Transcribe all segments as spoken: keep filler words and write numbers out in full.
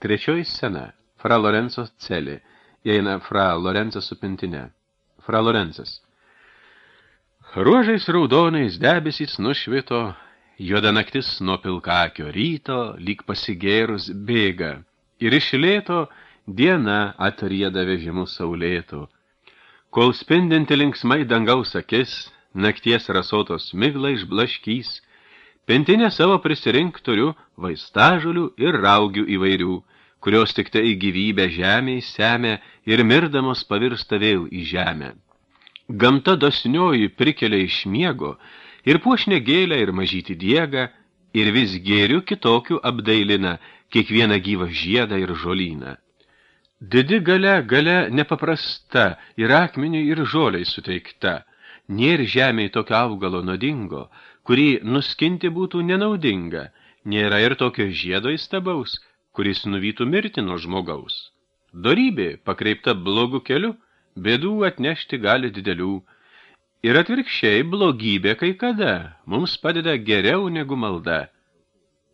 Trečioji scena. Fra Lorenzo celė. Įeina fra Lorenzas su pintinė. Fra Lorenzas. Ruožais raudonais debesys nušvito, juoda naktis nuo pilkakio ryto, lyg pasigėrus bėga, ir iš lėto diena atrieda vežimu saulėtų. Kol spindinti linksmai dangaus akis, nakties rasotos miglą išblaškys, pintinė savo prisirink turiu vaistažolių ir raugių įvairių, kurios tik tai gyvybę žemėj semia ir mirdamos pavirsta vėl į žemę. Gamta dosnioji prikelia iš miego ir puošnė gėlę ir mažyti diegą, ir vis gėriu kitokių apdailina kiekvieną gyvą žiedą ir žolyną. Didi galia, galia nepaprasta, ir akmeniui ir žoliai suteikta. Nėr žemėj tokio augalo nuodingo, kurį nuskinti būtų nenaudinga. Nėra ir tokio žiedo įstabaus, kuris nuvytų mirti nuo žmogaus. Dorybė, pakreipta blogu keliu, bėdų atnešti gali didelių. Ir atvirkščiai blogybė kai kada mums padeda geriau negu malda.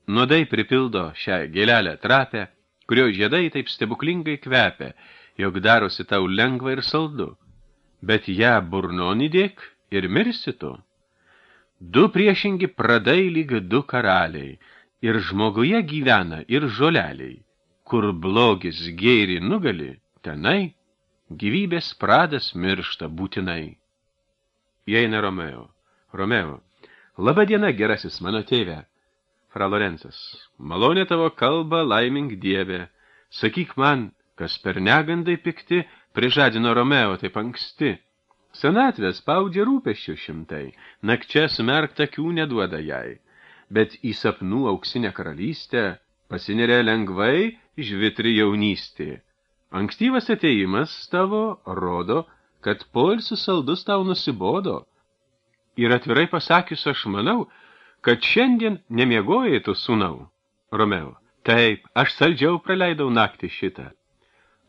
Nuodai pripildo šią gėlelę trapę, kurio žiedai taip stebuklingai kvepia, jog darosi tau lengva ir saldu. Bet ją burnon įdėk ir mirsi tu. Du priešingi pradai lyg du karaliai, ir žmoguje gyvena ir žoleliai. Kur blogis gėrį nugali, tenai gyvybės pradas miršta būtinai. Įeina Romeo. Romeo. Labą dieną, gerasis mano tėve. Fra Lorenzas. Malonė tavo kalba, laimink dieve. Sakyk man, kas per negandai pikti prižadino Romeo taip anksti. Senatvė spaudžia rūpesčių šimtai, nakčia smerkt akių neduoda jai. Bet į sapnų auksinę karalystę pasineria lengvai žvitri jaunystė. Ankstyvas atėjimas tavo rodo, kad poilsis saldus tau nusibodo. Ir atvirai pasakius aš manau, kad šiandien nemiegojai tu sūnau. Romeo. Taip, aš saldžiau praleidau naktį šitą.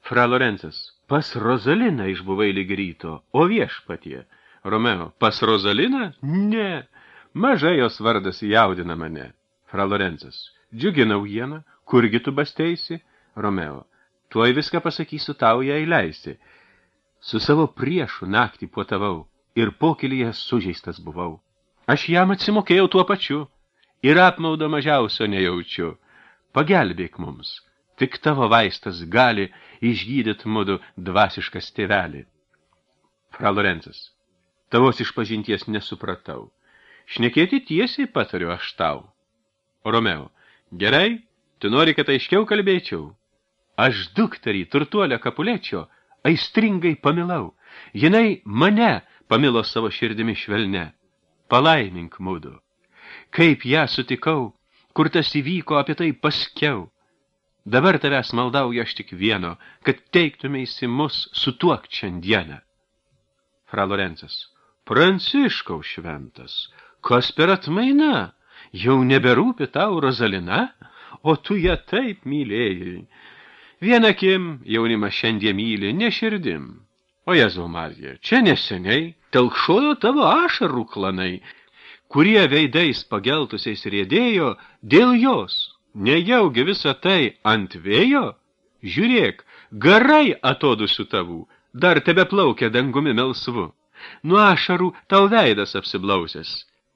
Fra Lorenzas. Pas Rozaliną išbuvai lyg ryto, o viešpatie. Romeo. Pas Rozaliną? Ne. Mažai jos vardas jaudina mane. Fra Lorenzas. Džiugi naujiena, kurgi tu basteisi? Romeo. Tuoj viską pasakysiu tau, jei leisi. Su savo priešu naktį puotavau ir pokylyje sužeistas buvau. Aš jam atsimokėjau tuo pačiu ir apmaudo mažiausio nejaučiu. Pagelbėk mums, tik tavo vaistas gali išgydyt mudu dvasiškas tėvelį. Fra Lorenzas. Tavos išpažinties nesupratau. Šnekėti tiesiai patariu aš tau. Romeo. Gerai, tu nori, kad aiškiau kalbėčiau. Aš dukterį turtuolę Kapulečio aistringai pamilau. Jinai mane pamilo savo širdimi švelne. Palaimink mudu. Kaip ją sutikau, kur tas įvyko, apie tai paskiau. Dabar tavęs maldauju aš tik vieno, kad teiktumeisi mus sutuokt šiandieną. Fra Lorenzas. Pranciškau šventas, kas per atmaina? Jau neberūpi tau Rozalina, o tu ją taip mylėjai. Vienakim jaunimas šiandien myli, ne širdim. O Jėzau Marija, čia neseniai telkšojo tavo ašarų klanai, kurie veidais pageltusiais riedėjo dėl jos. Nejaugi visą tai ant vėjo? Žiūrėk, garai atodusių tavų, dar tebe plaukia dangumi melsvu. Nuo ašarų tau veidas apsiblausęs,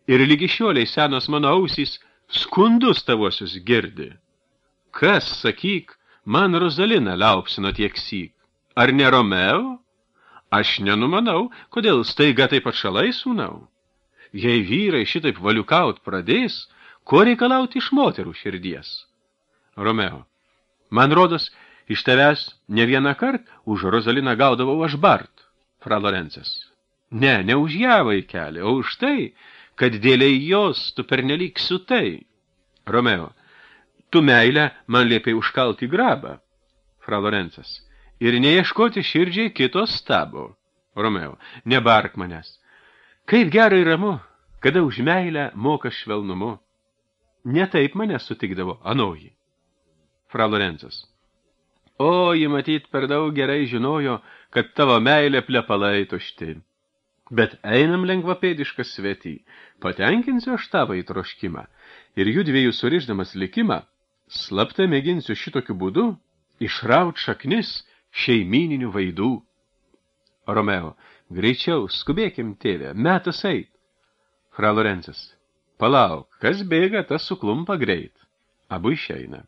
ir lygi šioliai senos mano ausys skundus tavosius girdi. Kas, sakyk, man Rozaliną liaupsino tiek syk? Ar ne Romeo? Aš nenumanau, kodėl staiga taip atšalai sūnau. Jei vyrai šitaip valiukaut pradės, ko reikalauti iš moterų širdies? Romeo. Man rodos, iš tavęs ne vieną kart už Rozaliną gaudavau aš bart. Fra Lorenzas. Ne, ne už ją vaikelį, o už tai, kad dėliai jos tu pernelyg sutai. Romeo. Tu meilę man liepiai užkalti grabą. Fra Lorenzas. Ir neieškoti širdžiai kito stabo. Romeo. Nebark manęs. Kaip gerai ramu, kada už meilę moka švelnumu. Ne taip mane sutikdavo anoji. Fra Lorenzas. O, ji matyt per daug gerai žinojo, kad tavo meilė plepalai tušti. Bet einam lengvapėdiškas svetį, patenkinsiu aš tavo įtroškimą, ir jų dviejų surišdamas likimą, Slapta mėginsiu šitokiu būdu išraut šaknis šeimyninių vaidų. Romeo, greičiau, skubėkim, tėve, metas eit. Fra Lorencas, palauk, kas bėga, tas suklumpa greit. Abu išeina.